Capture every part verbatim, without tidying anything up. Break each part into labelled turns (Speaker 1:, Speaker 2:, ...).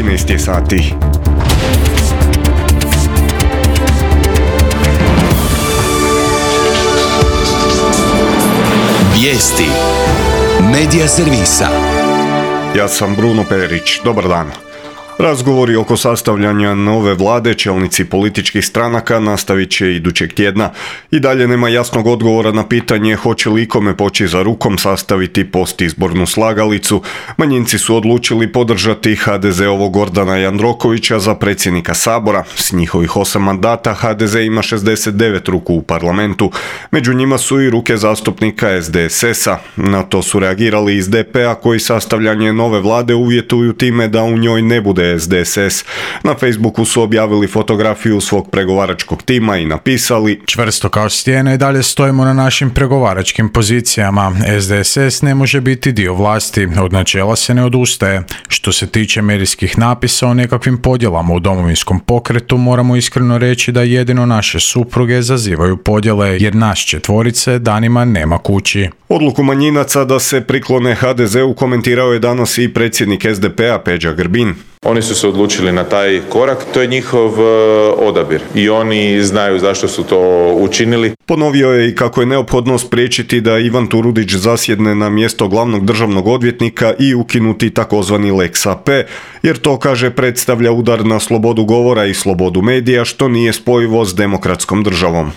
Speaker 1: trinaest je sati.
Speaker 2: Vijesti Medija servisa.
Speaker 1: Ja sam Bruno Perić. Dobar dan. Razgovori oko sastavljanja nove vlade čelnici političkih stranaka nastavit će idućeg tjedna. I dalje nema jasnog odgovora na pitanje hoće li ikome poći za rukom sastaviti postizbornu slagalicu. Manjinci su odlučili podržati ha de ze-ovog Gordana Jandrokovića za predsjednika Sabora. S njihovih osam mandata ha de ze ima šezdeset devet ruku u parlamentu. Među njima su i ruke zastupnika es de es es-a. Na to su reagirali iz de pe a koji sastavljanje nove vlade uvjetuju time da u njoj ne bude es de es es. Na Facebooku su objavili fotografiju svog pregovaračkog tima i napisali:
Speaker 3: čvrsto kao stijena i dalje stojimo na našim pregovaračkim pozicijama. es de es es ne može biti dio vlasti, od načela se ne odustaje. Što se tiče medijskih napisa o nekakvim podjelama u Domovinskom pokretu, moramo iskreno reći da jedino naše supruge zazivaju podjele, jer nas četvorice danima nema kući.
Speaker 1: Odluku manjinaca da se priklone ha de ze-u komentirao je danas i predsjednik es de pe a Peđa Grbin.
Speaker 4: Oni su se odlučili na taj korak, to je njihov odabir i oni znaju zašto su to učinili.
Speaker 1: Ponovio je i kako je neophodno spriječiti da Ivan Turudić zasjedne na mjesto glavnog državnog odvjetnika i ukinuti takozvani lex a pe, jer to, kaže, predstavlja udar na slobodu govora i slobodu medija, što nije spojivo s demokratskom državom.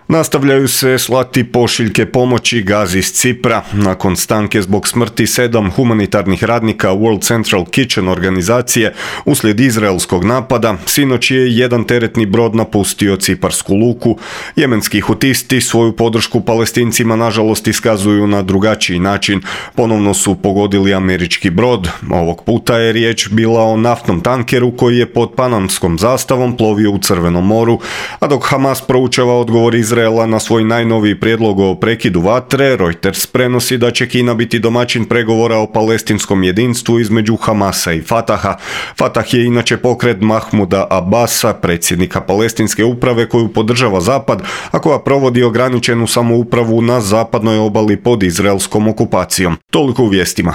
Speaker 1: Nastavljaju se slati pošiljke pomoći Gazi iz Cipra. Nakon stanke zbog smrti sedam humanitarnih radnika World Central Kitchen organizacije uslijed izraelskog napada, sinoć je jedan teretni brod napustio ciparsku luku. Jemenski hutisti svoju podršku Palestincima nažalost iskazuju na drugačiji način. Ponovno su pogodili američki brod. Ovog puta je riječ bila o naftnom tankeru koji je pod panamskom zastavom plovio u Crvenom moru, a dok Hamas proučava odgovor Izraela na svoj najnoviji prijedlog o prekidu vatre, Reuters prenosi da će Kina biti domaćin pregovora o palestinskom jedinstvu između Hamasa i Fataha. Fatah je inače pokret Mahmuda Abasa, predsjednika palestinske uprave koju podržava Zapad, a koja provodi ograničenu samoupravu na zapadnoj obali pod izraelskom okupacijom. Toliko u vijestima.